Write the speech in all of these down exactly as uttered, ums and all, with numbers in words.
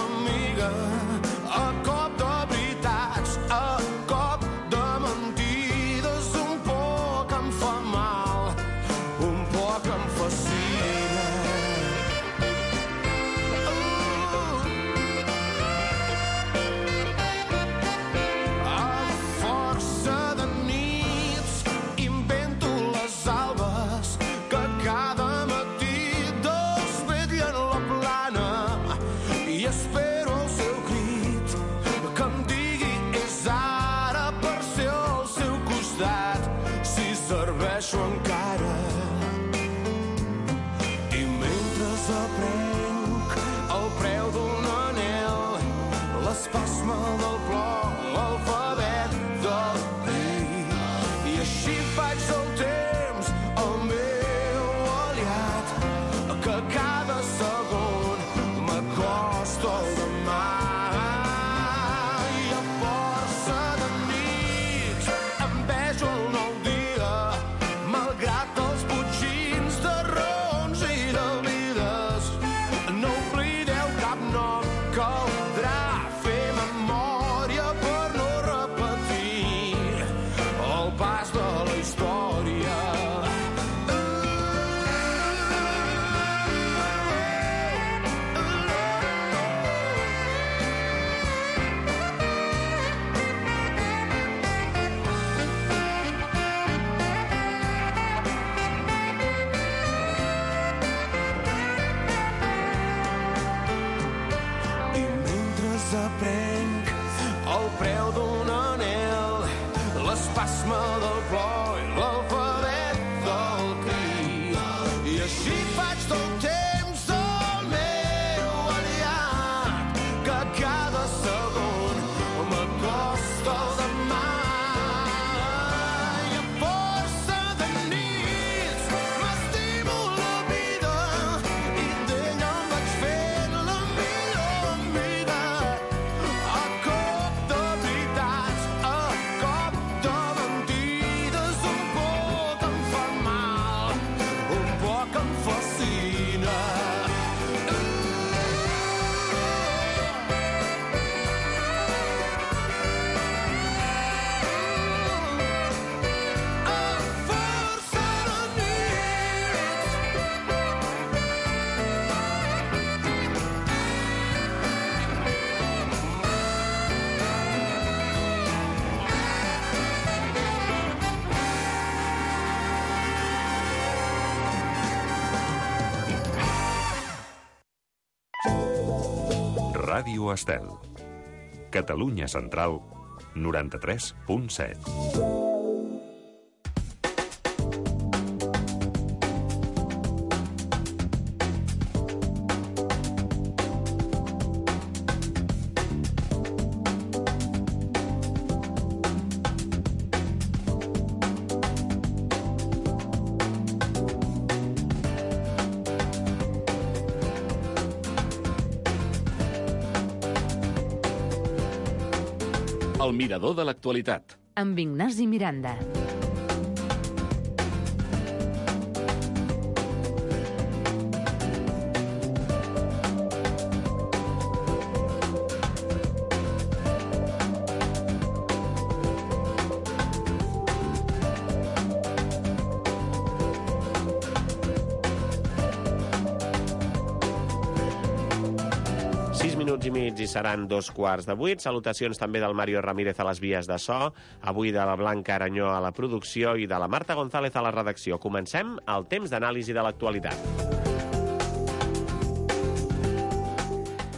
amiga, a cop de veritats, a cop de mentides, un poc em fa mal, un poc em fascina. Uh. A força de nits invento les albes que cada matí desvetllen la plana i espero el seu crit que em digui és ara per ser al seu costat si serveixo encara. I mentre aprenc el preu d'un anel, l'espasme del plor, l'alfabet del rei, i així faig el temps el meu aliat, que cada segon m'acosta al demà. I a força de nits em vejo el nou dia, malgrat els botxins de raons i de vides. No oblideu cap nom, caldrà fer memòria per no repetir el pas de la història. I mentre aprenc el preu d'un anel, l'espasme del plor i l'alfabet del crit, i així faig del temps el meu aliat, que cada segon m'acosta al demà. I a força de nits m'estimo la vida i d'ella em vaig fent la millor amiga. A cop de veritats, a cop de mentides, un poc em fa mal, un poc em fascina. A força de Ràdio Estel. Catalunya Central, noranta-tres punt set. El mirador de l'actualitat. Amb Ignasi Miranda. Minuts i mig i seran dos quarts de vuit. Salutacions també del Mario Ramírez a les vies de so, avui de la Blanca Aranyó a la producció i de la Marta González a la redacció. Comencem el temps d'anàlisi de l'actualitat.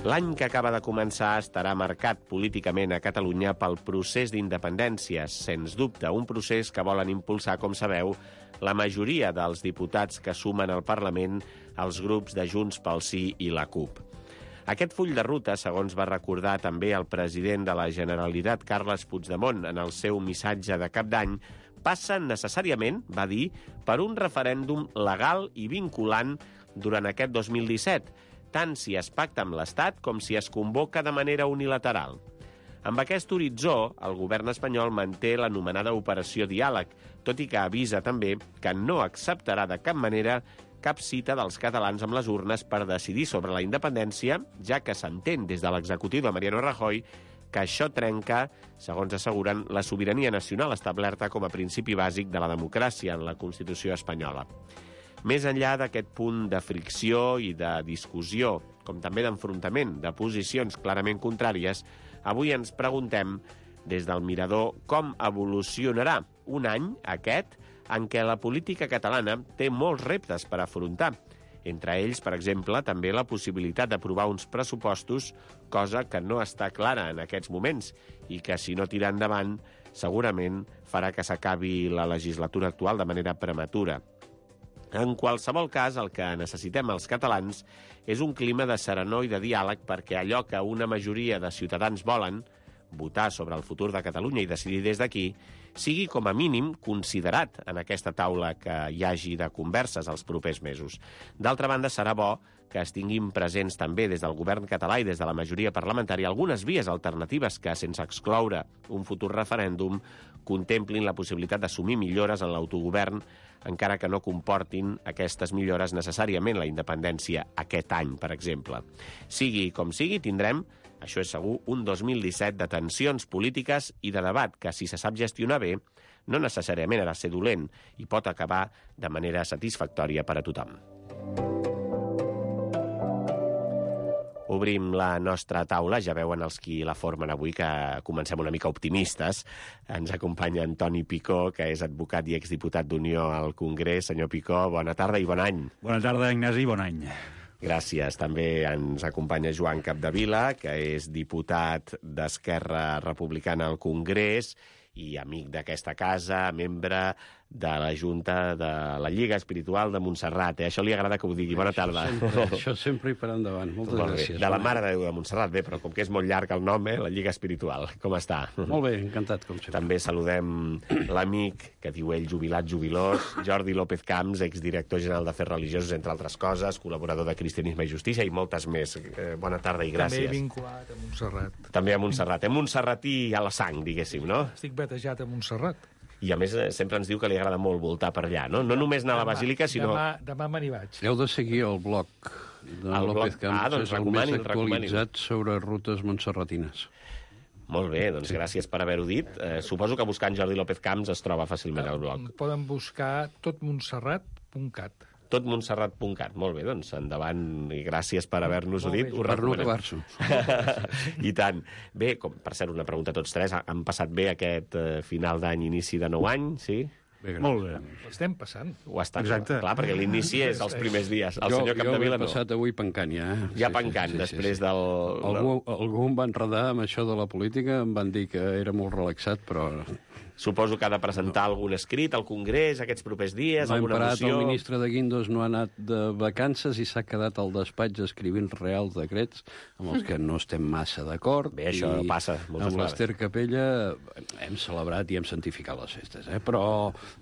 L'any que acaba de començar estarà marcat políticament a Catalunya pel procés d'independència, sens dubte un procés que volen impulsar, com sabeu, la majoria dels diputats que sumen al Parlament els grups de Junts pel Sí i la CUP. Aquest full de ruta, segons va recordar també el president de la Generalitat, Carles Puigdemont, en el seu missatge de cap d'any, passa necessàriament, va dir, per un referèndum legal i vinculant durant aquest dos mil disset, tant si es pacta amb l'Estat com si es convoca de manera unilateral. Amb aquest horitzó, el govern espanyol manté l'anomenada Operació Diàleg, tot i que avisa també que no acceptarà de cap manera cap cita dels catalans amb les urnes per decidir sobre la independència, ja que s'entén des de l'executiu de Mariano Rajoy que això trenca, segons asseguren, la sobirania nacional establerta com a principi bàsic de la democràcia en la Constitució espanyola. Més enllà d'aquest punt de fricció i de discussió, com també d'enfrontament de posicions clarament contràries, avui ens preguntem des del Mirador com evolucionarà un any, aquest, en què la política catalana té molts reptes per afrontar. Entre ells, per exemple, també la possibilitat d'aprovar uns pressupostos, cosa que no està clara en aquests moments i que, si no tira endavant, segurament farà que s'acabi la legislatura actual de manera prematura. En qualsevol cas, el que necessitem els catalans és un clima de serenor i de diàleg perquè allò que una majoria de ciutadans volen, votar sobre el futur de Catalunya i decidir des d'aquí, sigui com a mínim considerat en aquesta taula que hi hagi de converses els propers mesos. D'altra banda, serà bo que es tinguin presents també des del govern català i des de la majoria parlamentària algunes vies alternatives que, sense excloure un futur referèndum, contemplin la possibilitat d'assumir millores en l'autogovern, encara que no comportin aquestes millores necessàriament la independència aquest any, per exemple. Sigui com sigui, tindrem, això és segur, un dos mil disset de tensions polítiques i de debat que, si se sap gestionar bé, no necessàriament ha de ser dolent i pot acabar de manera satisfactòria per a tothom. Obrim la nostra taula, ja veuen els qui la formen avui que comencem una mica optimistes. Ens acompanya Antoni Picó, que és advocat i exdiputat d'Unió al Congrés. Senyor Picó, bona tarda i bon any. Bona tarda, Ignasi, bon any. Gràcies. També ens acompanya Joan Capdevila, que és diputat d'Esquerra Republicana al Congrés i amic d'aquesta casa, membre de la Junta de la Lliga Espiritual de Montserrat. Eh? Això li agrada que ho digui. Bona tarda. Això sempre, això sempre i per endavant. Moltes molt gràcies. Bé. De la Mare de Déu de Montserrat, bé, però com que és molt llarg el nom, eh? La Lliga Espiritual. Com està? Molt bé, encantat, com sempre. També saludem l'amic, que diu ell jubilat, jubilós, Jordi López Camps, exdirector general d'Afers Religiosos, entre altres coses, col·laborador de Cristianisme i Justícia i moltes més. Eh, bona tarda i gràcies. També vinculat a Montserrat. També a Montserrat. Eh? Montserratí a la sang, diguéssim, no? Estic batejat a Montserrat. I a més sempre ens diu que li agrada molt voltar per allà, no? No només anar a la Basílica, sinó... Demà, demà me n'hi vaig. Heu de seguir el blog de El López blog- Camps, Ah, doncs és el recomani'l, més actualitzat sobre rutes montserratines. Molt bé, doncs sí. Gràcies per haver-ho dit. Eh, suposo que buscant Jordi López Camps es troba fàcilment al blog. Poden buscar tot montserrat punt cat. tot montserrat punt cat. Molt bé, doncs endavant i gràcies per haver-nos-ho dit. Ho Per no recomanem. acabar-s'ho. I tant. Bé, com, per cert, una pregunta a tots tres. Han passat bé aquest eh, final d'any, inici de nou any, sí? Bé, Molt bé. L'estem passant. Ho està, Exacte. clar, perquè l'inici és els primers dies. El jo, senyor jo Capdevila he no. passat avui pencant ja. Eh? Ja pencant, després del... Algú, algú em va enredar amb això de la política, em van dir que era molt relaxat, però... Suposo que ha de presentar algun escrit al Congrés aquests propers dies, L'any alguna parat moció... el ministre de Guindos no ha anat de vacances i s'ha quedat al despatx escrivint reals decrets amb els que no estem massa d'acord. Bé, això I passa moltes amb vegades. l'Ester Capella hem celebrat i hem santificat les festes, eh? però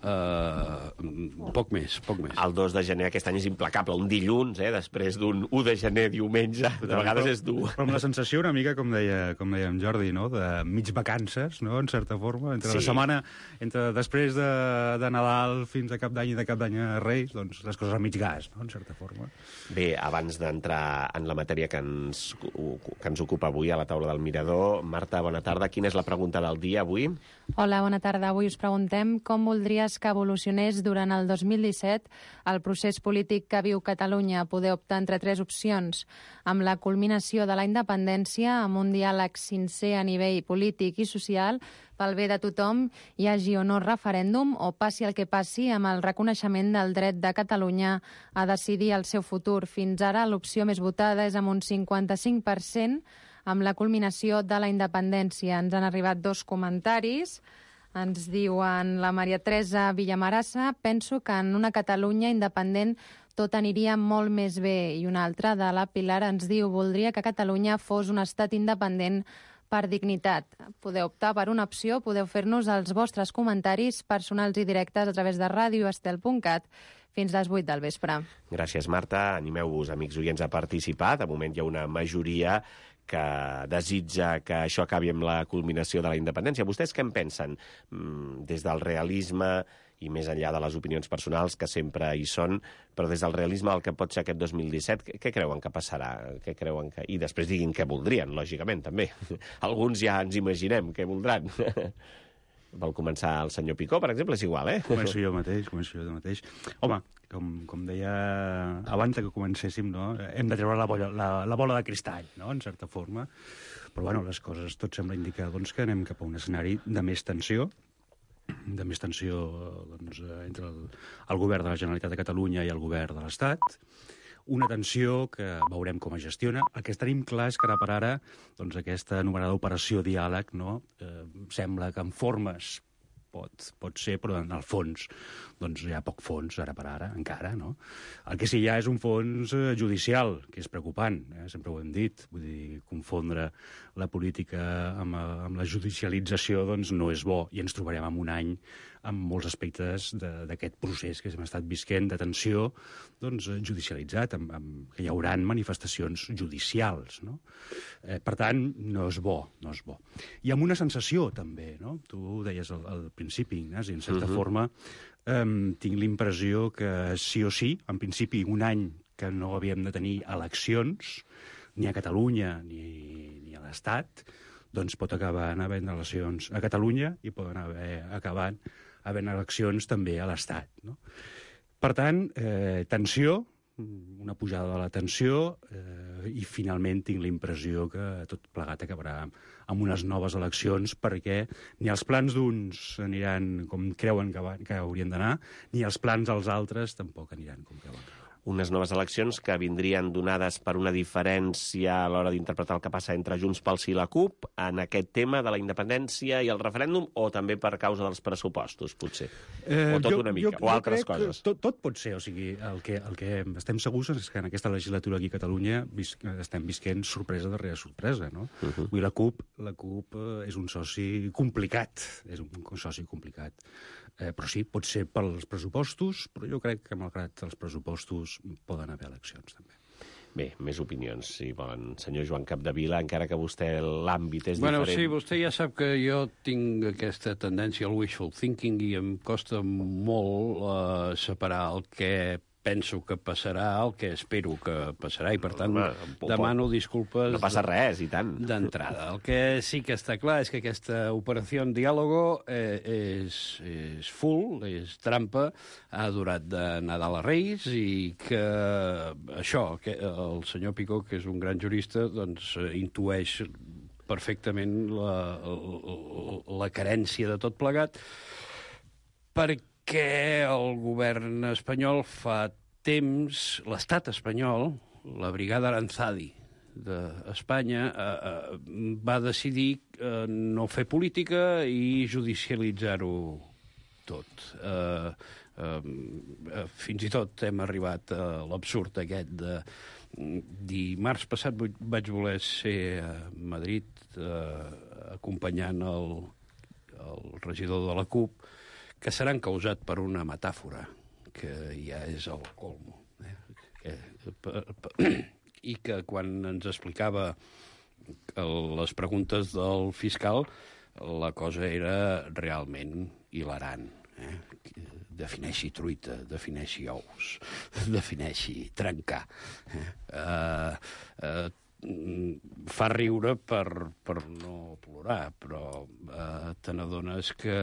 eh, poc més, poc més. El dos de gener aquest any és implacable, un dilluns, eh, després d'un u de gener diumenge, de vegades és dur. Però amb la sensació una mica, com deia, com deia en Jordi, no? De mig vacances, no? En certa forma, entre Sí. la setmana, entre després de, de Nadal fins a Cap d'Any i de Cap d'Any a Reis, doncs les coses a mig gas, no? En certa forma. Bé, abans d'entrar en la matèria que ens, que ens ocupa avui a la taula del Mirador, Marta, bona tarda. Quina és la pregunta del dia avui? Hola, bona tarda. Avui us preguntem com voldries que evolucionés durant el dos mil disset el procés polític que viu Catalunya. Poder optar entre tres opcions. Amb la culminació de la independència, amb un diàleg sincer a nivell polític i social, pel bé de tothom, hi hagi o no referèndum, o passi el que passi amb el reconeixement del dret de Catalunya a decidir el seu futur. Fins ara l'opció més votada és amb un cinquanta-cinc per cent, amb la culminació de la independència. Ens han arribat dos comentaris. Ens diuen la Maria Teresa Villamarassa: penso que en una Catalunya independent tot aniria molt més bé. I una altra, de la Pilar, ens diu: voldria que Catalunya fos un estat independent per dignitat. Podeu optar per una opció, podeu fer-nos els vostres comentaris personals i directes a través de radio estel punt cat fins les vuit del vespre. Gràcies, Marta. Animeu-vos, amics oients, a participar. De moment hi ha una majoria que desitja que això acabi amb la culminació de la independència. Vostès què en pensen? Mm, des del realisme i més enllà de les opinions personals, que sempre hi són, però des del realisme del que pot ser aquest dos mil disset, què, què creuen que passarà? Què creuen que... I després diguin què voldrien, lògicament, també. Alguns ja ens imaginem què voldran. Vol començar el senyor Picó, per exemple, és igual, eh? Començo jo mateix, començo jo mateix. Home, com, com deia abans que comencéssim, no? Hem de treure la bola, la, la bola de cristall, no? En certa forma. Però, bueno, les coses tot sembla indicar doncs, que anem cap a un escenari de més tensió, de més tensió doncs, entre el, el govern de la Generalitat de Catalunya i el govern de l'Estat, una tensió que veurem com es gestiona. El que tenim clar és que ara per ara doncs, aquesta anomenada operació diàleg, no? eh, sembla que en formes pot, pot ser, però en el fons doncs, hi ha poc fons ara per ara, encara. No? El que sí hi ha és un fons eh, judicial, que és preocupant, eh? sempre ho hem dit. Vull dir, confondre la política amb, amb la judicialització doncs, no és bo, i ens trobarem en un any amb molts aspectes d'aquest procés que hem estat visquent de tensió doncs, judicialitzat, amb, amb, que hi haurà manifestacions judicials. No? Eh, per tant, no és bo, no és bo. I amb una sensació, també, no? Tu ho deies al, al principi, Ignasi, en certa uh-huh. forma, eh, tinc l'impressió que sí o sí, en principi, un any que no havíem de tenir eleccions, ni a Catalunya ni, ni a l'Estat, doncs pot acabar havent eleccions a Catalunya i poden haver acabat havent eleccions també a l'Estat. No? Per tant, eh, tensió, una pujada de la tensió, eh, i finalment tinc la impressió que tot plegat acabarà amb unes noves eleccions, perquè ni els plans d'uns aniran com creuen que, va, que haurien d'anar, ni els plans dels altres tampoc aniran com creuen que van. Unes noves eleccions que vindrien donades per una diferència a l'hora d'interpretar el que passa entre Junts pel Sí i la CUP en aquest tema de la independència i el referèndum, o també per causa dels pressupostos, potser? Eh, o tot jo, una mica, jo, o altres jo coses? Tot, tot pot ser, o sigui, el que, el que estem segurs és que en aquesta legislatura aquí a Catalunya vis, estem visquent sorpresa darrere sorpresa, no? Uh -huh. Vull dir, la CUP, la CUP és un soci complicat, és un soci complicat. Eh, però sí, pot ser pels pressupostos, però jo crec que, malgrat els pressupostos, poden haver eleccions, també. Bé, més opinions, si volen. Senyor Joan Capdevila, encara que vostè l'àmbit és bueno, diferent... Sí, vostè ja sap que jo tinc aquesta tendència al wishful thinking i em costa molt uh, separar el que penso que passarà, el que espero que passarà, i per tant Home, demano disculpes... No passa res, i tant. D'entrada. El que sí que està clar és que aquesta operació en diàlogo eh, és, és full, és trampa, ha durat de Nadal a Reis, i que això, que el senyor Picó, que és un gran jurista, doncs intueix perfectament la, la, la carència de tot plegat, perquè que el govern espanyol fa temps, l'estat espanyol, la brigada Aranzadi d'Espanya, eh, eh, va decidir eh, no fer política i judicialitzar-ho tot. Eh, eh, fins i tot hem arribat a l'absurd aquest de... Dimarts passat vaig voler ser a Madrid eh, acompanyant el, el regidor de la CUP, que s'han causat per una metàfora, que ja és el colmo. Eh? Que, per, per, I que quan ens explicava les preguntes del fiscal, la cosa era realment hilarant. Eh? Defineixi truita, defineixi ous, defineixi trencar. Eh? Uh, uh, fa riure per, per no plorar, però eh, te n'adones que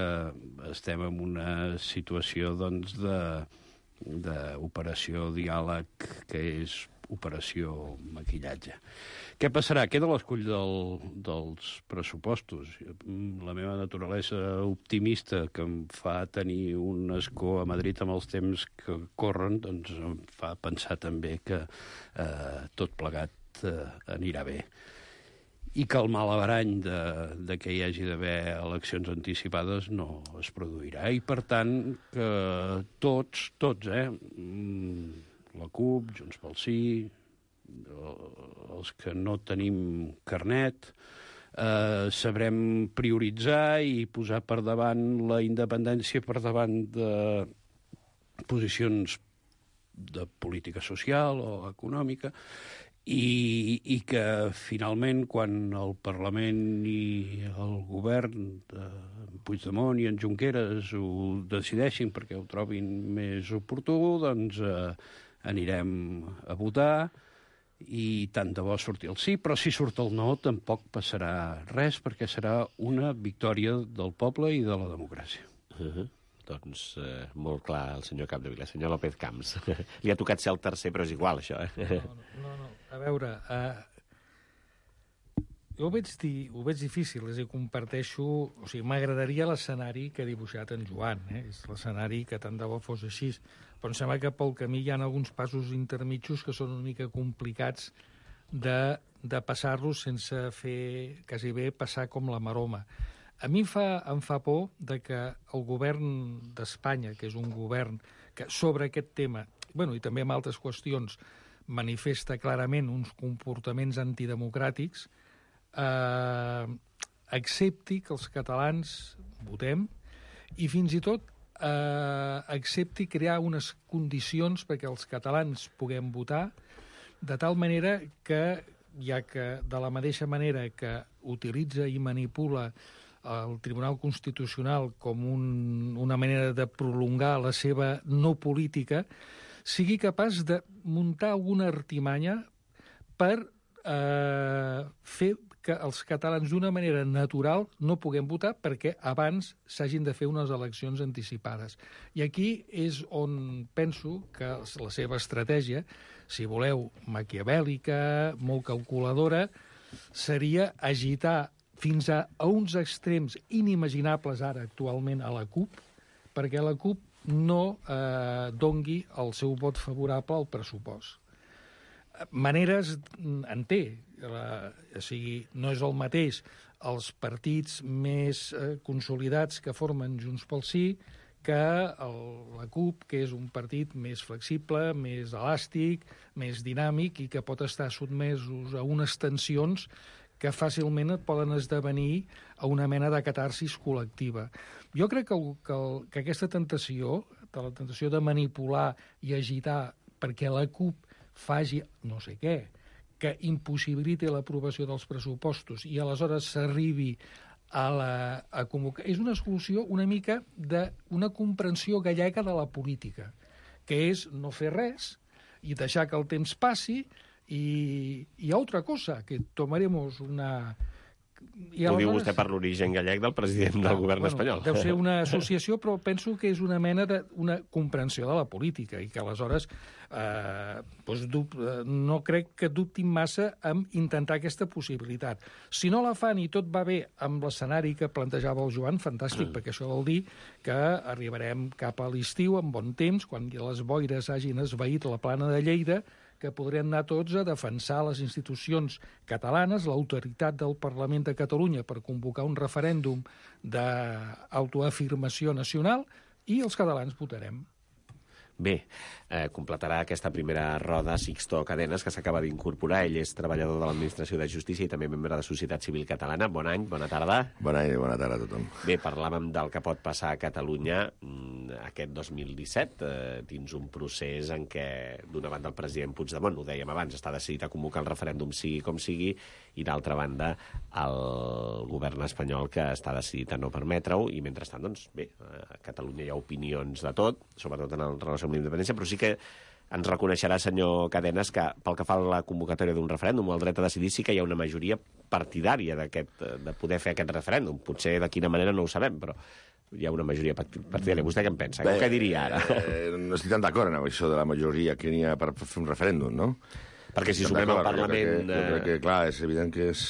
estem en una situació doncs, d'operació diàleg que és operació maquillatge. Què passarà? Queda l'escull del, dels pressupostos. La meva naturalesa optimista, que em fa tenir un escó a Madrid amb els temps que corren, doncs em fa pensar també que eh, tot plegat eh, anirà bé. I que el malabarany de, de que hi hagi d'haver eleccions anticipades no es produirà. I, per tant, que tots, tots, eh, la CUP, Junts pel Sí, els que no tenim carnet, eh, sabrem prioritzar i posar per davant la independència per davant de posicions de política social o econòmica, i, i que finalment quan el Parlament i el govern de Puigdemont i en Junqueras ho decideixin perquè ho trobin més oportú, doncs eh, anirem a votar i tant de bo surti el sí, però si surt el no tampoc passarà res perquè serà una victòria del poble i de la democràcia. Uh-huh. Doncs eh, molt clar el senyor Capdevila, senyor López Camps. Li ha tocat ser el tercer, però és igual, això. Eh? No, no, no. A veure, uh, jo ho veig, di, ho veig difícil, és a dir, comparteixo... O sigui, m'agradaria l'escenari que ha dibuixat en Joan, eh? És l'escenari que tant de bo fos així. Però em sembla que pel camí hi ha alguns passos intermitjos que són una mica complicats de, de passar-los sense fer, quasi bé, passar com la maroma. A mi em fa, em fa por de que el govern d'Espanya, que és un govern que sobre aquest tema, bueno, i també amb altres qüestions, manifesta clarament uns comportaments antidemocràtics, eh, accepti que els catalans votem i fins i tot eh, accepti crear unes condicions perquè els catalans puguem votar de tal manera que, ja que de la mateixa manera que utilitza i manipula el Tribunal Constitucional com un, una manera de prolongar la seva no política, sigui capaç de muntar alguna artimanya per eh, fer que els catalans d'una manera natural no puguem votar perquè abans s'hagin de fer unes eleccions anticipades. I aquí és on penso que la seva estratègia, si voleu, maquiavèlica, molt calculadora, seria agitar fins a, a uns extrems inimaginables ara actualment a la CUP, perquè la CUP no eh, dongui el seu vot favorable al pressupost. Maneres en té, la, o sigui, no és el mateix els partits més eh, consolidats que formen Junts pel Sí que el, la CUP, que és un partit més flexible, més elàstic, més dinàmic i que pot estar sotmesos a unes tensions que fàcilment et poden esdevenir a una mena de catarsis col·lectiva. Jo crec que, el, que, el, que aquesta tentació, de la tentació de manipular i agitar perquè la CUP faci no sé què, que impossibiliti l'aprovació dels pressupostos i aleshores s'arribi a, la, a convocar... És una solució una mica d'una comprensió gallega de la política, que és no fer res i deixar que el temps passi. Y, y a otra cosa, que tomaremos una... I Ho diu vostè per l'origen gallec del president del govern bueno, espanyol. Deu ser una associació, però penso que és una mena de una comprensió de la política i que aleshores eh, doncs, dub, no crec que dubtin massa en intentar aquesta possibilitat. Si no la fan i tot va bé amb l'escenari que plantejava el Joan, fantàstic, mm. perquè això vol dir que arribarem cap a l'estiu amb bon temps, quan les boires hagin esvaït la plana de Lleida, que podrem anar tots a defensar les institucions catalanes, l'autoritat del Parlament de Catalunya per convocar un referèndum d'autoafirmació nacional i els catalans votarem. Bé, eh, completarà aquesta primera roda Sixto Cadenes, que s'acaba d'incorporar. Ell és treballador de l'Administració de Justícia i també membre de Societat Civil Catalana. Bon any, bona tarda. Bon any i bona tarda a tothom. Bé, parlàvem del que pot passar a Catalunya aquest dos mil disset, eh, dins un procés en què, d'una banda, el president Puigdemont, ho dèiem abans, està decidit a convocar el referèndum sigui com sigui, i d'altra banda, el govern espanyol que està decidit a no permetre-ho, i mentrestant, doncs, bé, a Catalunya hi ha opinions de tot, sobretot en el relació amb la independència, però sí que ens reconeixerà, senyor Cadenes, que pel que fa a la convocatòria d'un referèndum, el dret a decidir, sí que hi ha una majoria partidària d'aquest, de poder fer aquest referèndum. Potser de quina manera no ho sabem, però hi ha una majoria partidària. Vostè què en pensa? Bé, què diria ara? Eh, no estic tan d'acord amb això de la majoria que n'hi ha per fer un referèndum, no? Perquè si sumem al Parlament... Jo crec, que, jo crec que, clar, és evident que és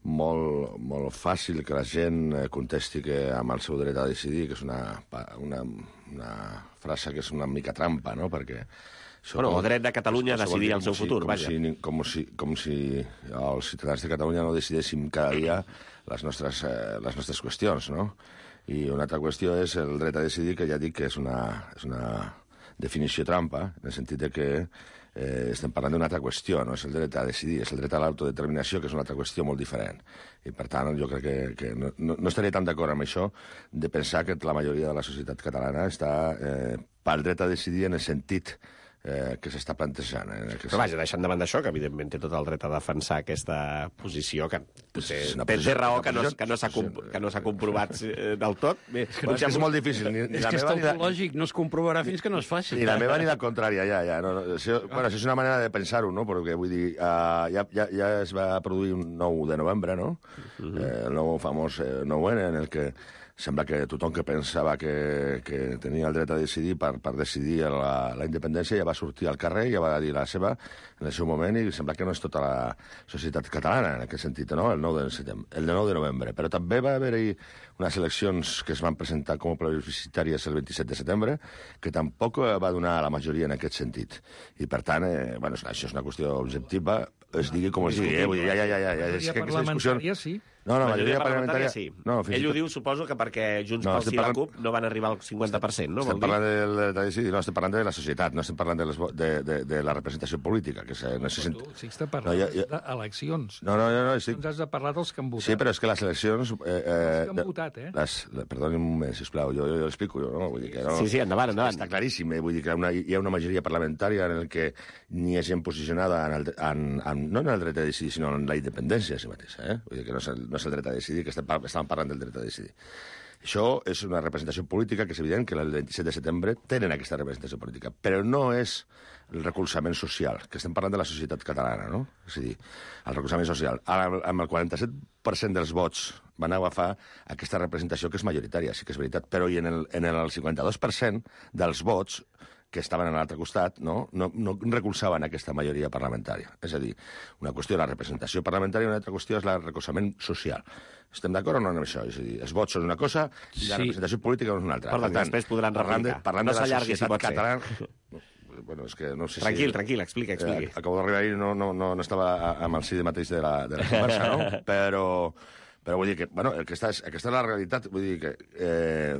molt, molt fàcil que la gent contesti que amb el seu dret a decidir, que és una, una, una frase que és una mica trampa, no? Perquè... Bueno, el dret de Catalunya a decidir el seu si, futur, com vaja. Si, com, si, com si els ciutadans de Catalunya no decidéssim cada dia les nostres, eh, les nostres qüestions, no? I una altra qüestió és el dret a decidir, que ja dic que és una, és una definició trampa, en el sentit de que eh, estem parlant d'una altra qüestió, no és el dret a decidir, és el dret a l'autodeterminació, que és una altra qüestió molt diferent. I, per tant, jo crec que, que no, no, no estaria tan d'acord amb això de pensar que la majoria de la societat catalana està eh, pel dret a decidir en el sentit eh, que s'està plantejant. Eh, que Però vaja, deixant de banda això, que evidentment té tot el dret a defensar aquesta posició, que potser té, posició, té raó que no, que no s'ha que no s'ha comprovat eh, del tot. Bé, bueno, és que és molt difícil. Ni, ni és la que és meva, tautològic, no es comprovarà fins que no es faci. Ni la meva ni la contrària, ja, ja. No, no, això, bueno, això és una manera de pensar-ho, no? Perquè, vull dir, uh, ja, ja, ja es va produir un nou de novembre, no? Uh -huh. eh, el nou famós eh, nou ene, en el que sembla que tothom que pensava que, que tenia el dret a decidir per, per decidir la, la independència ja va sortir al carrer, ja va dir la seva en el seu moment, i sembla que no és tota la societat catalana en aquest sentit, no? El nou de setembre, el nou de novembre. Però també va haver-hi unes eleccions que es van presentar com a plebiscitàries el vint-i-set de setembre, que tampoc va donar la majoria en aquest sentit. I, per tant, eh, bueno, això és una qüestió objectiva, es digui com es digui, eh? Vull dir, ja, ja, ja, ja, ja. És que aquesta discussió... sí. No, no, la majoria, majoria parlamentària... sí. No, Ell ho diu, suposo, que perquè Junts no, pel Sí i la CUP no van arribar al cinquanta per cent, no? Estem parlant de, de, de, no, estem parlant de la societat, no estem parlant de, les, de, de, de la representació política. Que se, no, se tu, sí, estem parlant no, ja, ja... d'eleccions. No, no, no, no sí. Ens has de parlar dels que han votat. Sí, però és que les eleccions... Eh, eh, els que han votat, eh? Les, perdoni un moment, sisplau, jo, jo, jo l'explico, jo, no? Vull dir que no, sí, sí, endavant, endavant. Està claríssim, eh? Vull dir que una, hi ha una majoria parlamentària en el que ni ha gent posicionada en el, en, en, no en el dret a decidir, sinó en la independència en si mateixa, eh? Vull dir que no és el, no és el dret a decidir, que estem, estàvem parlant del dret a decidir. Això és una representació política que és evident que el vint-i-set de setembre tenen aquesta representació política, però no és el recolzament social, que estem parlant de la societat catalana, no? És a dir, el recolzament social. Amb el quaranta-set per cent dels vots van agafar aquesta representació que és majoritària, sí que és veritat, però i en el, en el cinquanta-dos per cent dels vots que estaven a l'altre costat, no? No, no recolzaven aquesta majoria parlamentària. És a dir, una qüestió és la representació parlamentària i una altra qüestió és el recolzament social. Estem d'acord o no amb això? És a dir, els vots són una cosa i la sí. representació política és una altra. Perdó, per tant, després podran replicar. Parlant no de la s'allargui, si pot catalana... Bueno, és que no sé tranquil, si... tranquil, explica, expliqui. Eh, acabo d'arribar ahir, no, no, no, no estava amb el sí mateix de la, de la conversa, no? Però, però vull dir que, bueno, aquesta és, aquesta és la realitat, vull dir que... Eh,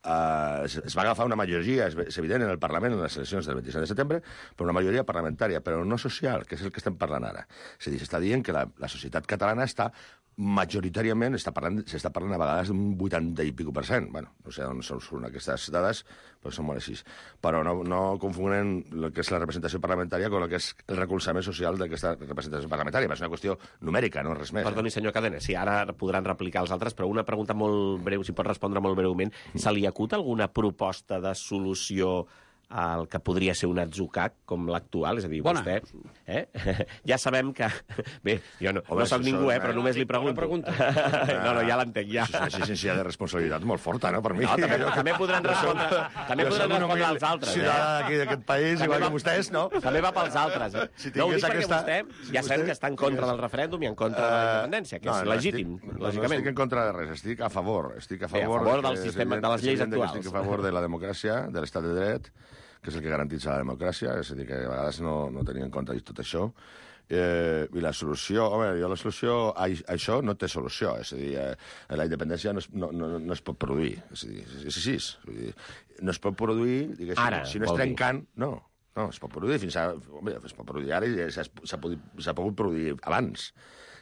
Uh, es, es va agafar una majoria, és, és evident, en el Parlament, en les eleccions del vint-i-set de setembre, però una majoria parlamentària, però no social, que és el que estem parlant ara. És a dir, s'està dient que la, la societat catalana està majoritàriament, s'està parlant, s'està parlant a vegades d'un vuitanta i pico per cent. Bueno, no sé on són aquestes dades, però són molt així. Però no, no confonen el que és la representació parlamentària amb el que és el recolzament social d'aquesta representació parlamentària. És una qüestió numèrica, no res més. Perdoni, senyor Cadena, sí, ara podran replicar els altres, però una pregunta molt breu, si pot respondre molt breument. Se li acut alguna proposta de solució al que podria ser un atzucac com l'actual? És a dir, Bona. vostè... Eh? Ja sabem que... Bé, jo no, Home, no soc ningú, eh, però només li pregunto. pregunta. No, no, ja l'entenc, ja. Això és una exigència de responsabilitat molt forta, no?, per mi. No, també, també podran respondre, també podran respondre als altres. Eh? Ciutadà d'aquí d'aquest país, també igual va, que vostès, no? També va pels altres. Eh? Si no, ho dic perquè aquesta... vostè ja sabem que està en contra del referèndum i en contra de la independència, que no, és no, legítim, estic, lògicament. No estic en contra de res, estic a favor. Estic a favor, Bé, a favor del sistema, de les lleis actuals. Estic a favor de la democràcia, de l'estat de dret, que és el que garantitza la democràcia, és a dir, que a vegades no, no tenia en compte tot això. Eh, I la solució, home, jo la solució a, a això no té solució, és a dir, eh, la independència no es, no, no, no es pot produir, és a dir, és així, vull dir, no es pot produir, diguéssim, ara, si no és trencant, no, no, es pot produir fins a... Home, es pot produir ara i s'ha pogut produir abans,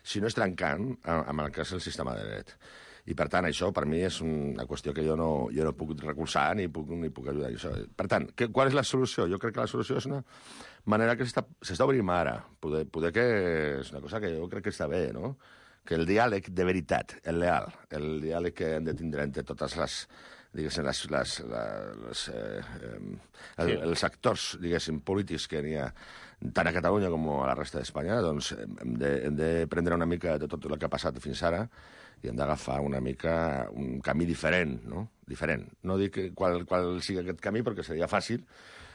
si no és trencant amb el que és el sistema de dret. I, per tant, això, per mi, és una qüestió que jo no, jo no puc recolzar ni puc, ni puc ajudar. Això. Per tant, que, qual és la solució? Jo crec que la solució és una manera que s'està obrint ara. Poder, poder que és una cosa que jo crec que està bé, no? Que el diàleg de veritat, el leal, el diàleg que hem de tindre entre totes les, diguéssim, les, les, les, eh, el, sí. els actors, diguéssim, polítics que n'hi ha tant a Catalunya com a la resta d'Espanya, doncs hem de, hem de prendre una mica de tot el que ha passat fins ara i hem d'agafar una mica un camí diferent, no? Diferent. No dic qual, qual sigui aquest camí, perquè seria fàcil,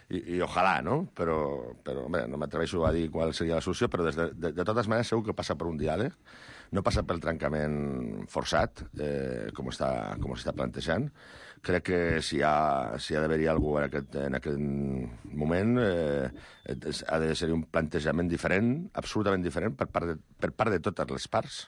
i, i ojalà, no? Però, però home, no m'atreveixo a dir qual seria la solució, però des de, de, de totes maneres segur que passa per un diàleg, no passa pel trencament forçat, eh, com està, com s'està plantejant. Crec que si hi ha, si ha d'haver-hi algú en aquest, en aquest moment, eh, ha de ser un plantejament diferent, absolutament diferent, per part de, per part de totes les parts,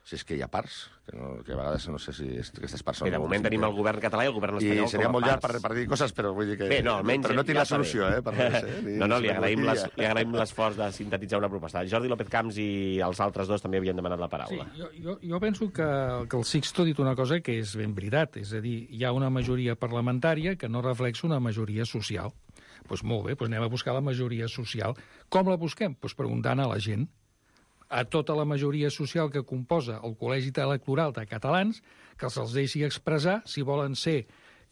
si és que hi ha parts, que, no, que a vegades no sé si aquestes parts són... Bé, de moment tenim el govern català i el govern espanyol com a parts. I seria molt llarg per, per dir coses, però vull dir que... Bé, no, almenys... Però no tinc ja la solució, eh? Per res, eh? Ni, no, no, li agraïm, les, li agraïm l'esforç de sintetitzar una proposta. Jordi López Camps i els altres dos també havien demanat la paraula. Sí, jo, jo, jo penso que, que el Sixto ha dit una cosa que és ben veritat, és a dir, hi ha una majoria parlamentària que no reflexa una majoria social. Doncs molt bé, doncs anem a buscar la majoria social. Com la busquem? Doncs preguntant a la gent, a tota la majoria social que composa el Col·legi Electoral de Catalans, que se'ls deixi expressar si volen ser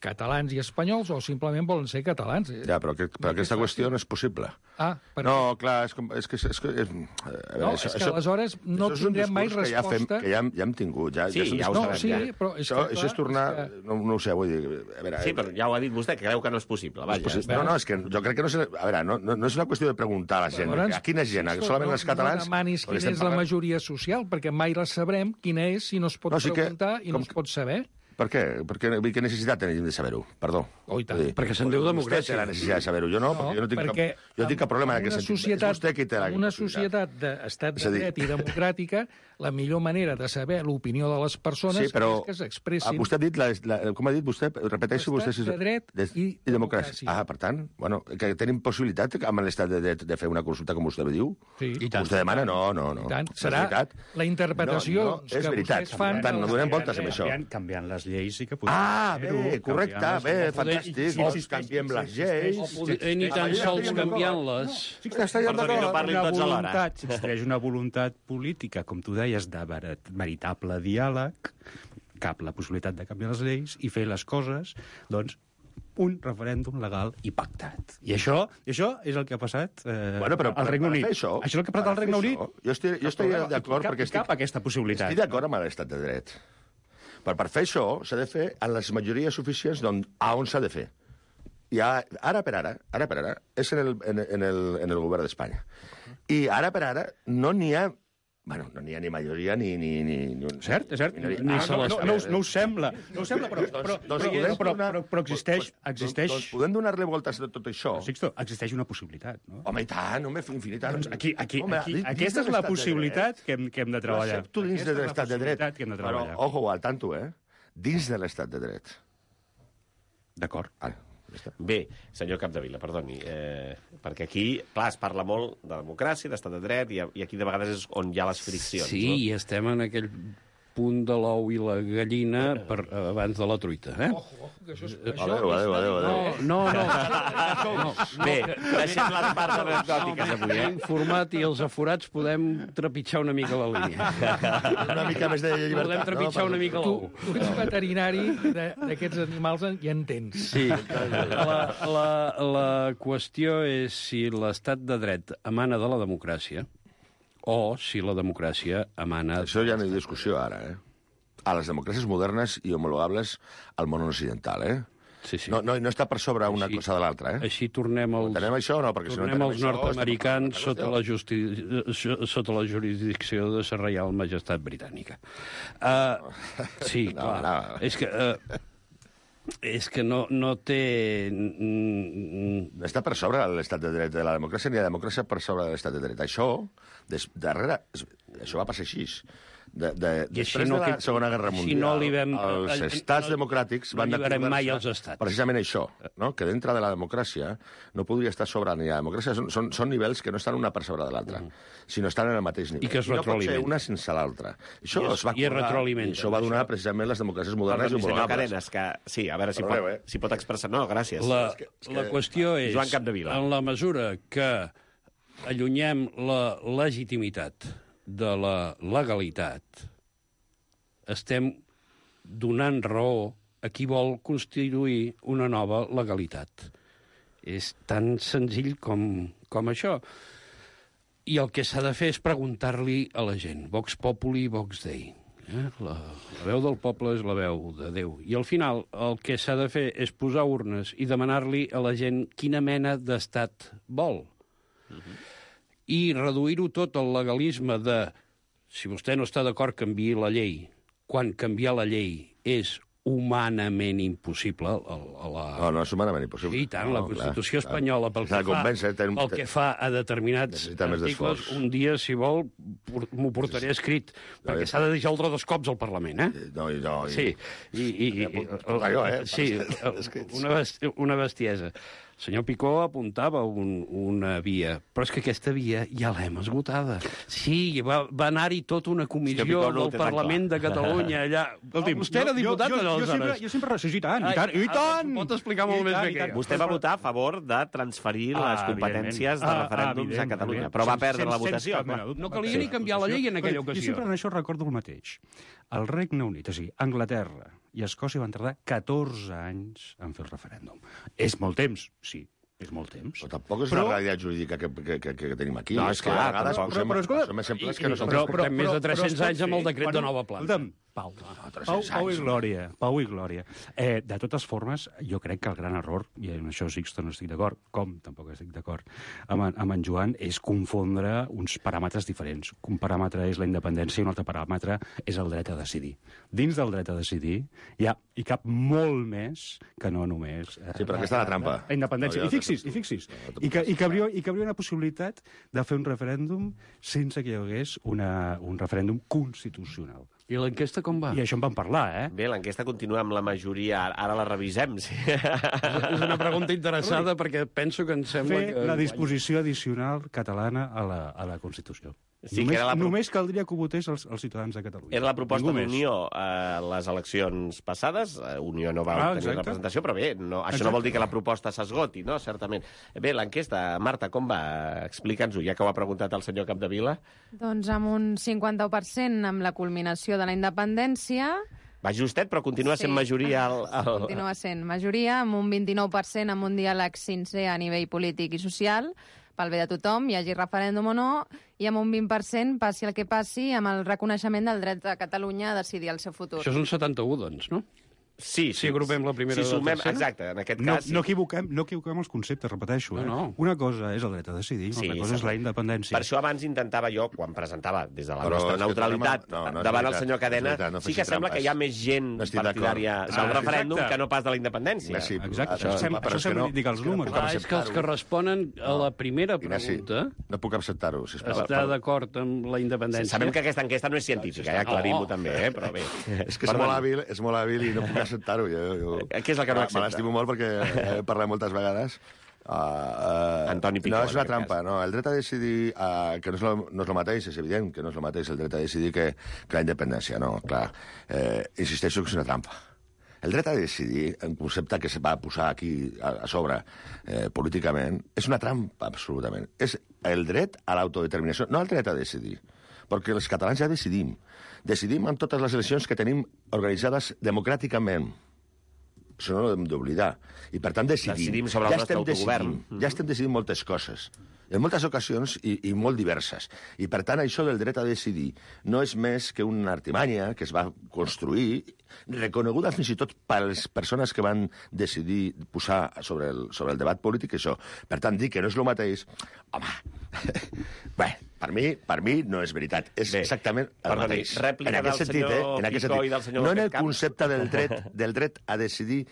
catalans i espanyols o simplement volen ser catalans. Ja, però, que, però aquesta qüestió no és possible. Ah, per No, clar, és, com, és que... És, que és, a veure, No, és que aleshores no això és un tindrem mai discurs que ja, fem, resposta. que ja, hem, ja hem tingut. Ja, Sí, ja, és un ja ho discurs- No, sabem, sí, ja. però és Això, que, això clar, és tornar... és que- No, no ho sé, vull dir... A veure, Sí, però ja ho ha dit vostè, que creu que no és possible. Vaja, Pues, no, no, és que jo crec que no és... A veure, no, no, no és una qüestió de preguntar a la gent. Llavors, a quina gent? escolta, Solament els catalans? No demanis Perquè quina estem és la parlant- majoria social, perquè mai la sabrem quina és si no es pot No, sí que- preguntar i com no es pot saber. Per què? Per què, què necessitat tenim de saber-ho? Perdó. Oh, i tant. Vull dir, Perquè se'n diu Vostè democràcia. té la necessitat de saber-ho. Jo no, perquè jo no tinc perquè cap, jo tinc cap problema en en aquest una sentit. societat, És vostè qui té la en una possibilitat. societat d'estat És de a dir- dret i democràtica, la millor manera de saber l'opinió de les persones Sí, però és que ah, s'expressin. vostè ha dit, la, la, com ha dit vostè, repeteixi L'estat vostè... si- de dret de, i i democràcia. democràcia. Ah, per tant, bueno, que tenim possibilitat amb l'estat de dret de fer una consulta, com vostè diu? Sí. I tant. Vostè demana? No, no, no. I tant. No és Serà veritat. la interpretació no, no, doncs, és que veritat. vostès fan. Per tant, no de- donem voltes amb això. Canviant, canviant les lleis i que podem Ah, fer-ho, bé, correcte, canviant bé, les- fantàstic. Sí, sí, Doncs sí, canviem sí, les sí, lleis. sí, sí, Poder, sí, ni sí, tan sí, sols sí, sí, canviant-les. Sí que estaríem Perdó, que no d'acord. parlin una tots alhora. voluntat, s'extreix una voluntat política, com tu deies, de ver- veritable diàleg, cap la possibilitat de canviar les lleis i fer les coses, doncs, un referèndum legal i pactat. I això, i això és el que ha passat eh, Bueno, però al per- Regne per Unit. fer això- això és el que ha passat per al Regne fer Unit. això, jo estic, jo estic Cap- d'acord cap- perquè estic, cap aquesta possibilitat. estic d'acord amb l'estat de dret. Però per fer això s'ha de fer en les majories suficients d'on, a on s'ha de fer. I a, ara per ara, ara per ara, és en el, en, en el, en el govern d'Espanya. I ara per ara no n'hi ha... Bueno, no n'hi ha ni majoria ni... ni, ni, ni un, Cert, és cert. minoria. No, Ah, no, no, no, no, us- no us eh, sembla. No us sembla, però, però, però, doncs però, podem però, donar- però, però existeix... doncs- existeix... Doncs podem donar-li voltes a tot això. Sixto, existeix una possibilitat, no? Home, i tant, home, infinitat. Doncs aquí, aquí, Home, aquí, dins- aquesta dins és la l'estat de possibilitat dret. que hem, que hem de Jo treballar. accepto dins Aquesta de és la l'estat de dret. possibilitat que hem de treballar. Però, ojo, al tanto, eh? Dins de l'estat de dret. D'acord. Ara, ja està. Bé, senyor Capdevila, perdoni, eh, perquè aquí, clar, es parla molt de democràcia, d'estat de dret, i, i aquí de vegades és on hi ha les friccions, Sí, no? i estem en aquell punt de l'ou i la gallina per, abans de la truita, eh? Ojo, ojo, que això és... Adéu, adéu, adéu, adéu. No, no, no. Bé, deixem les parts anecdòtiques avui, eh? Informat i els aforats podem trepitjar una mica la línia. Una mica més de llibertat. Podem trepitjar una mica Tu, l'ou. tu ets veterinari de- d'aquests animals i en tens. Sí, la, la, la qüestió és si l'estat de dret emana de la democràcia o si la democràcia emana... Això ja no hi ha discussió ara, eh? A les democràcies modernes i homologables al món occidental, eh? Sí, sí. No, no, no està per sobre una Així- cosa de l'altra, eh? Així tornem als, Entenem això o no? Perquè si no tornem entenem als això, nord-americans estem sota parlant la, justi... sota la jurisdicció de la Reial Majestat Britànica. Uh, sí, No, clar. no. És que... Uh, és que no, no té... mm, No està per sobre de l'estat de dret de la democràcia ni la democràcia per sobre de l'estat de dret. Això, des, darrere, això va passar així. De, de, I així després no de la que- Segona Guerra si Mundial, no li vam- els eh, estats no- democràtics no van alliberem acordar-se mai els estats. precisament això, no? Que dintre de la democràcia no podria estar sobre ni la democràcia. Són, són, són nivells que no estan una per sobre de l'altra, mm. sinó estan en el mateix nivell. I que es no pot ser retroalimenten. una sense l'altra. Això I es- es va i es acordar, retroalimenten, i això va donar precisament les democràcies modernes i Perdoni, senyor homologables. Cadenes, que... Sí, a veure si Perdoneu, pot, eh? si pot expressar... No, gràcies. La, és que- és la que- qüestió és, Joan Capdevila. en la mesura que allunyem la legitimitat de la legalitat, estem donant raó a qui vol constituir una nova legalitat. És tan senzill com, com això. I el que s'ha de fer és preguntar-li a la gent. Vox populi, vox dei. Eh? La, la veu del poble és la veu de Déu. I al final el que s'ha de fer és posar urnes i demanar-li a la gent quina mena d'estat vol. Uh-huh. I reduir-ho tot al legalisme de si vostè no està d'acord, canviï la llei. Quan canviar la llei és humanament impossible a, a la... No, no és humanament impossible. Sí, i tant, la No, Constitució clar, espanyola, pel S'ha que, de convèncer, fa, ten- pel que fa a determinats Necessita més articles, d'esforç. un dia, si vol, por- m'ho portaré escrit, perquè s'ha de dissoldre dos cops al Parlament, eh? No, i no, i... Sí, i... i, i, Ja puc- puc pagar jo, eh? Sí, Per escrits. una, best, una bestiesa. El senyor Picó apuntava un, una via, però és que aquesta via ja l'hem esgotada. Sí, va, va anar-hi tota una comissió Picó no ho del té tan Parlament de Catalunya allà. Escolti'm, Vostè era diputat jo, jo, jo, aleshores. sempre, jo sempre... Sí, i tant, i tant, i tant! Pot explicar molt I més tant, bé i que tant. jo. Vostè va votar a favor de transferir Ah, les competències de evidentment. referèndums Ah, a Catalunya, evidentment. però va Sense- perdre la sense votació. cap mena de dubte. No calia ni canviar la llei en aquella Jo ocasió. sempre en això recordo el mateix. El Regne Unit, és a dir, Anglaterra i Escòcia van tardar catorze anys en fer el referèndum. És molt temps, sí, és molt temps. Però tampoc és Però- la realitat jurídica que, que, que, que tenim aquí. No, és és que clar, a vegades tampoc. posem, Però, però, escolta, posem exemples que no són... Però, però- portem més de però- tres-cents però es pot anys amb el fer. decret de Bueno, nova planta. escolta'm, Pau, Pau, Pau i Glòria, Pau i Glòria. Eh, de totes formes, jo crec que el gran error, i en això Sixto no estic d'acord, com tampoc estic d'acord amb, en- amb en Joan, és confondre uns paràmetres diferents. Un paràmetre és la independència i un altre paràmetre és el dret a decidir. Dins del dret a decidir hi ha hi cap molt més que no només... Eh, Sí, però aquesta és la trampa. La independència. No, I fixis, i fixis. I que, i, que hauria, I que hauria una possibilitat de fer un referèndum sense que hi hagués una, un referèndum constitucional. I l'enquesta com va? I això en vam parlar, eh? Bé, l'enquesta continua amb la majoria, ara la revisem. Sí. És una pregunta interessada perquè penso que em sembla Fer que... la disposició addicional catalana a la, a la Constitució. Sí, que només, era la pro- només caldria que ho votés els, els ciutadans de Catalunya. Era la proposta Ningú més. d'Unió a les eleccions passades. Eh, Unió no va Ah, obtenir exacte. representació, però bé, no, això Exacte. no vol dir que la proposta s'esgoti, no? Certament. Bé, l'enquesta, Marta, com va? Explica'ns-ho, ja que ho ha preguntat el senyor Capdevila. Doncs amb un cinquanta per cent amb la culminació de la independència... Va justet, però continua sent Sí. majoria al... al... Continua sent majoria, amb un vint-i-nou per cent amb un diàleg sincer a nivell polític i social, pel bé de tothom, hi hagi referèndum o no, i amb un vint per cent, passi el que passi, amb el reconeixement del dret de Catalunya a decidir el seu futur. Això és un setanta-u, doncs, no? Sí, Si agrupem la primera si i la sumem, tercera? exacte, en aquest No, cas... sí. no, equivoquem, no equivoquem els conceptes, repeteixo. Eh? No, no. Una cosa és el dret a decidir, Sí, una cosa és sí. la independència. Per això abans intentava jo, quan presentava des de la Però nostra és que neutralitat tornem a- no, no és davant el veritat, senyor no és Cadena, veritat, no sí facis que sembla trampes. que hi ha més gent No estic d'acord. partidària Ah, del referèndum exacte. que no pas de la independència. Ignasi, Exacte, Això- això sembla, però això és que sembla no- indicar els és que no números. puc Clar, és que els que responen a la primera Ignasi, pregunta no puc acceptar-ho, sisplau. està d'acord amb la independència. Sabem que aquesta enquesta no és científica, ja aclarim-ho No. també, eh? Però bé. És que és molt hàbil, és molt hàbil i no puc acceptar-ho. Jo, jo... Què és el que no Me accepta? l'estimo molt perquè he parlat moltes vegades. Uh, uh, Antoni Picó, no, és en una aquest trampa, cas. no. El dret a decidir, uh, que no és, lo, no és el mateix, és evident que no és el mateix el dret a decidir que, que la independència, no, clar. Eh, insisteixo que és una trampa. El dret a decidir, un concepte que se va posar aquí a, a sobre eh, políticament, és una trampa, absolutament. És el dret a l'autodeterminació, no el dret a decidir. Perquè els catalans ja decidim. Decidim en totes les eleccions que tenim organitzades democràticament. Això no ho hem d'oblidar. I, per tant, decidim. Decidim sobre el ja nostre estem autogovern. decidint, Ja estem decidint moltes coses. En moltes ocasions i, i molt diverses. I, per tant, això del dret a decidir no és més que una artimanya que es va construir, reconeguda fins i tot per les persones que van decidir posar sobre el, sobre el debat polític això. Per tant, dir que no és el mateix... Home, bé, per mi, per mi no és veritat. És Bé, exactament el perdoni, mateix. rèplica En aquest del sentit, senyor eh? En aquest Picó sentit. i del senyor No en López el Camps. concepte del dret, del dret a decidir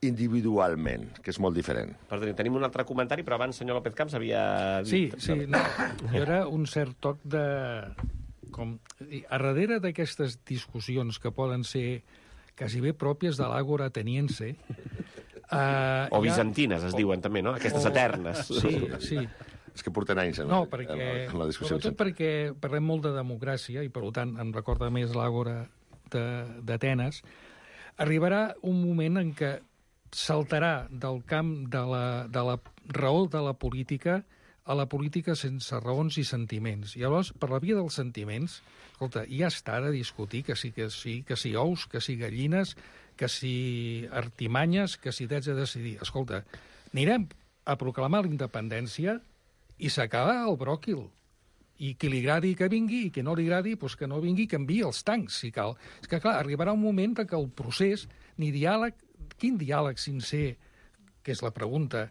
individualment, que és molt diferent. Perdoni, tenim un altre comentari, però abans senyor López Camps havia Sí, dit... sí, no. Hi haurà un cert toc de... Com, a darrere d'aquestes discussions que poden ser quasi bé pròpies de l'àgora ateniense... Uh, O bizantines, es diuen també, no? Aquestes O- eternes. Sí, sí. És que porten anys en, No, la, perquè, en, la, en la discussió. sobretot perquè parlem molt de democràcia i, per tant, em recorda més l'àgora de- d'Atenes, arribarà un moment en què saltarà del camp de la, de la raó de la política a la política sense raons i sentiments. I llavors, per la via dels sentiments, escolta, ja està de discutir que sí, que sí, que sí ous, que sí gallines, que sí artimanyes, que sí drets a decidir. Escolta, anirem a proclamar la independència i s'acaba el bròquil. I qui li agradi que vingui, i qui no li agradi, doncs que no vingui, que enviï els tancs, si cal. És que, clar, arribarà un moment en què el procés, ni diàleg... Quin diàleg sincer, que és la pregunta,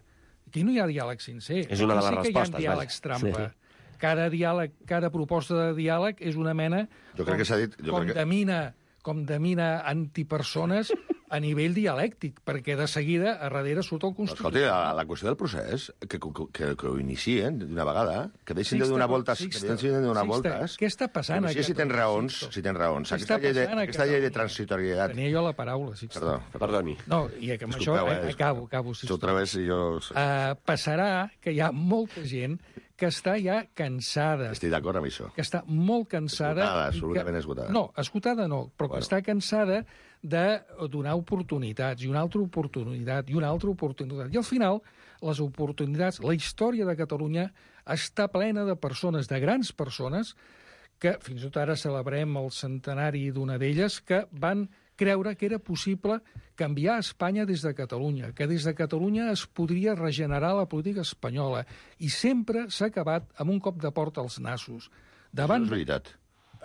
aquí no hi ha diàleg sincer. És una de les Aquí sí que respostes, hi ha diàlegs vaja. trampa. Sí. Cada diàleg, cada proposta de diàleg és una mena... Jo crec que s'ha dit- jo com crec que- de mina, com de mina antipersones a nivell dialèctic, perquè de seguida a darrere surt el Escolti, Constitucional. la, la qüestió del procés, que, que, que, que ho inicien d'una vegada, que deixin de Sixto, donar voltes, Sixto, que deixin de donar Sixto, voltes. què està passant Que no sé a si tens Catalunya, raons, Sixto? si tens raons. Què Aquesta està llei de, passant a aquesta llei de Catalunya? transitorietat... Tenia jo la paraula, Sixto. Perdó, Perdoni. No, i que amb això Disculpeu, eh, eh, acabo, acabo, Si Sixto. otra vez jo... Uh, passarà que hi ha molta gent que està ja cansada, Estic d'acord amb això. que està molt cansada... Esgotada, i absolutament que... esgotada. No, esgotada no, però Bueno. que està cansada de donar oportunitats, i una altra oportunitat, i una altra oportunitat. I al final, les oportunitats, la història de Catalunya està plena de persones, de grans persones, que fins i tot ara celebrem el centenari d'una d'elles, que van creure que era possible canviar Espanya des de Catalunya, que des de Catalunya es podria regenerar la política espanyola, i sempre s'ha acabat amb un cop de porta als nassos. Davant... No és veritat.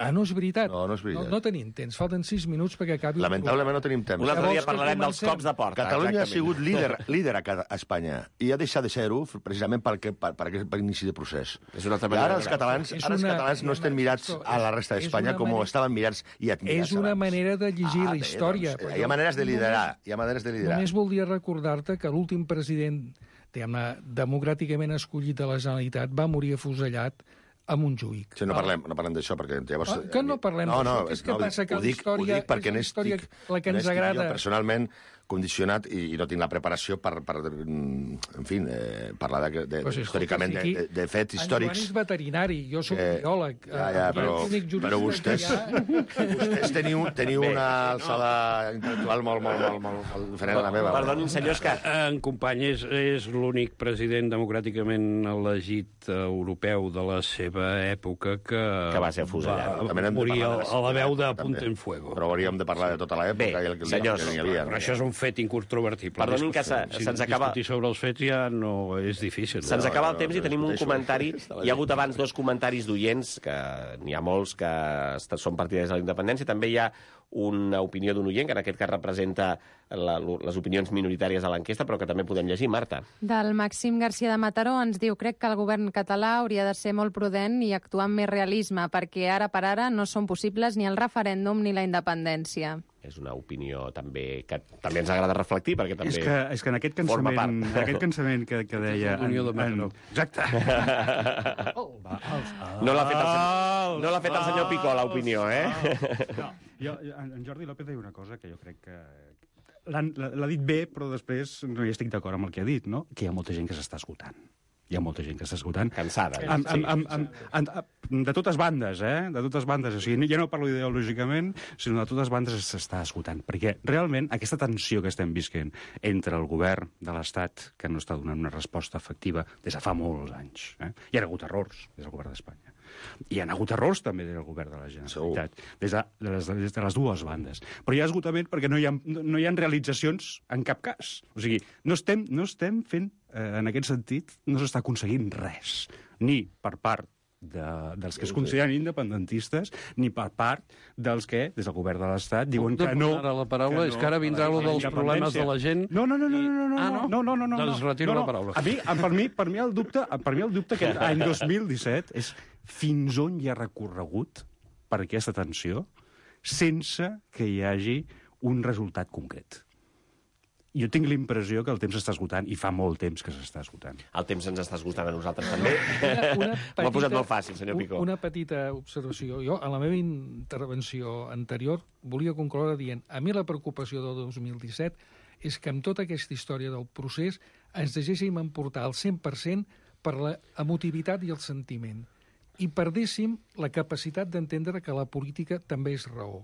Ah, no és veritat? No, no és veritat. No, no tenim temps, falten sis minuts perquè acabi... el Lamentablement no tenim temps. Un altre Llavors dia que parlarem dels comencem. cops de porta. Catalunya ha exactament. sigut líder, líder a, cada- a Espanya i ha deixat de ser-ho precisament per, que, per, per aquest per inici de procés. És una altra I manera ara de els veure-ho. catalans, És ara els una- catalans no estem mirats a la resta és d'Espanya una com manera- estaven mirats i admirats És una abans. manera de llegir la bé, història. Doncs, però hi ha jo maneres de liderar, només- hi ha maneres de liderar. Només voldria recordar-te que l'últim president, diguem-ne, democràticament escollit de la Generalitat va morir afusellat a Montjuïc. Sí, no parlem, no parlem d'això, perquè llavors... Ah, que no parlem no, no, d'això, que és que no, passa que ho la dic, història ho dic perquè és la història n'estic, la que ens n'estic agrada. jo personalment condicionat i, i no tinc la preparació per, per mm, en fi, eh, parlar de, de, Però si, històricament escolta, de, si aquí de, de fets En Joan històrics. és veterinari, jo soc que- biòleg. Ja, eh, ja, aquí però, el únic jurista però que vostès, hi ha- vostès teniu, teniu una alçada intel·lectual molt, molt, molt, molt, molt diferent a la meva. Perdonin, senyors, que... En company és, és l'únic president democràticament elegit eh, europeu de la seva època que, Que va ser afusellat. va També n'hem de morir parlar a, de la a la veu de també. Punta en Fuego. Però hauríem de parlar de tota l'època Bé, i el que, senyors, que n'hi havia. Però això és un fet incontrovertible. Perdonin que Discussió. se- se'ns acaba- Discutir sobre els fets ja no és difícil. Se'ns No, acaba no, el temps no, i tenim un discuteixo. comentari. Està la Hi ha gent. hagut abans dos comentaris d'oients, que n'hi ha molts que est- són partidaris de la independència. També hi ha una opinió d'un oient, que en aquest cas representa la, les opinions minoritàries a l'enquesta, però que també podem llegir. Marta. Del Màxim García de Mataró ens diu: crec que el govern català hauria de ser molt prudent i actuar amb més realisme, perquè ara per ara no són possibles ni el referèndum ni la independència. És una opinió també que també ens agrada reflectir, perquè també És que, és que en aquest forma cansament, part. en aquest cansament que, que deia... L'Unió de en- Mataró. en- Exacte. No l'ha fet, el senyor- no l'ha fet el senyor Picó, l'opinió, eh? No, jo, jo- en en Jordi López deia una cosa que jo crec que... l'han- L'ha l'ha dit bé, però després no hi estic d'acord amb el que ha dit, no? Que hi ha molta gent que s'està esgotant. Hi ha molta gent que s'està esgotant. Cansada. Amb, amb, amb, amb, amb, amb, de totes bandes, eh? De totes bandes. O sigui, ja no parlo ideològicament, sinó de totes bandes s'està esgotant. Perquè realment aquesta tensió que estem visquent entre el govern de l'Estat, que no està donant una resposta efectiva des de fa molts anys, eh? Hi ha hagut errors des del govern d'Espanya. Hi ha hagut errors també des del govern de la Generalitat, des de, de, les, des de les dues bandes. Però hi ha esgotament perquè no hi ha, no hi ha realitzacions en cap cas. O sigui, no estem, no estem fent, eh, en aquest sentit, no s'està aconseguint res, ni per part de, dels que es consideren independentistes, ni per part dels que, des del govern de l'Estat, diuen que no... Ara la paraula, és que ara vindrà a lo la dels problemes de la gent. No, no, no, no, no, no, Ah, no? no, no, no, no, Doncs no, retiro no, la paraula. A mi, per mi, per mi el dubte, per mi el dubte que any dos mil disset és fins on hi ha recorregut per aquesta tensió sense que hi hagi un resultat concret. Jo tinc l'impressió que el temps s'està esgotant, i fa molt temps que s'està esgotant. El temps ens està esgotant a nosaltres també. Una, una M'ho ha posat molt fàcil, senyor Picó. Una petita observació. Jo, en la meva intervenció anterior, volia concloure dient a mi la preocupació del dos mil disset és que amb tota aquesta història del procés ens deixéssim emportar al cent per cent per la emotivitat i el sentiment i perdéssim la capacitat d'entendre que la política també és raó.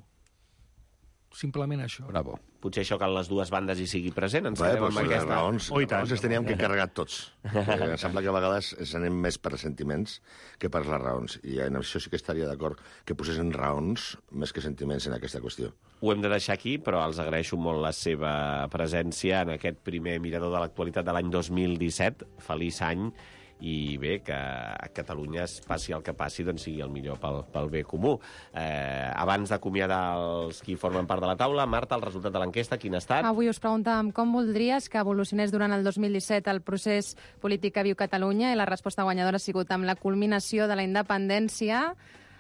Simplement això. Bravo. Potser això que en les dues bandes hi sigui present. Ens Bé, quedem doncs amb les aquesta... raons, Oh, i les tant. raons les teníem que carregar tots. Eh, em sembla que a vegades ens anem més per sentiments que per les raons. I en això sí que estaria d'acord que posessin raons més que sentiments en aquesta qüestió. Ho hem de deixar aquí, però els agraeixo molt la seva presència en aquest primer mirador de l'actualitat de l'any dos mil disset. Feliç any. I bé, que a Catalunya es passi el que passi, doncs sigui el millor pel, pel bé comú. Eh, abans d'acomiadar els qui formen part de la taula, Marta, el resultat de l'enquesta, quin ha estat? Avui us preguntàvem com voldries que evolucionés durant el dos mil disset el procés polític que viu Catalunya, i la resposta guanyadora ha sigut amb la culminació de la independència.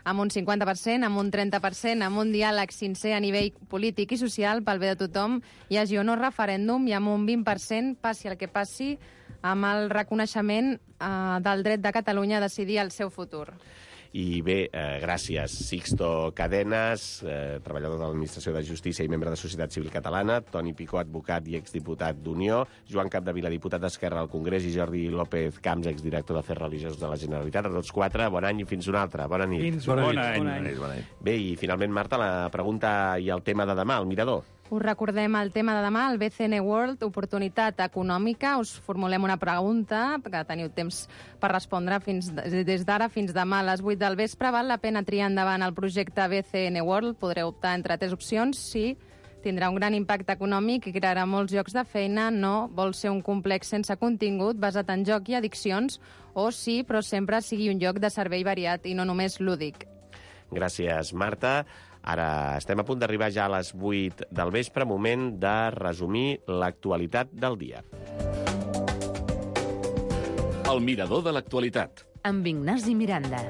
amb un cinquanta per cent, amb un trenta per cent, amb un diàleg sincer a nivell polític i social pel bé de tothom, hi hagi o no referèndum, i amb un vint per cent, passi el que passi, amb el reconeixement eh, del dret de Catalunya a decidir el seu futur. I bé, eh, gràcies, Sixto Cadenes, eh, treballador de l'Administració de Justícia i membre de Societat Civil Catalana, Toni Picó, advocat i exdiputat d'Unió, Joan Capdevila, diputat d'Esquerra al Congrés, i Jordi López Camps, exdirector d'Afers Religiosos de la Generalitat. A tots quatre, bon any i fins una altra. Bona nit. Fins Bona bona nit. nit. Bona nit. Bona nit. Bé, i finalment, Marta, la pregunta i el tema de demà, el mirador. Us recordem el tema de demà, el B C N World, oportunitat econòmica. Us formulem una pregunta, que teniu temps per respondre fins des d'ara fins demà a les vuit del vespre. Val la pena triar endavant el projecte B C N World? Podreu optar entre tres opcions. Sí, tindrà un gran impacte econòmic i crearà molts llocs de feina. No, vol ser un complex sense contingut, basat en joc i addiccions. O sí, però sempre sigui un lloc de servei variat i no només lúdic. Gràcies, Marta. Ara estem a punt d'arribar ja a les vuit del vespre, moment de resumir l'actualitat del dia. El mirador de l'actualitat. Amb Ignasi Miranda.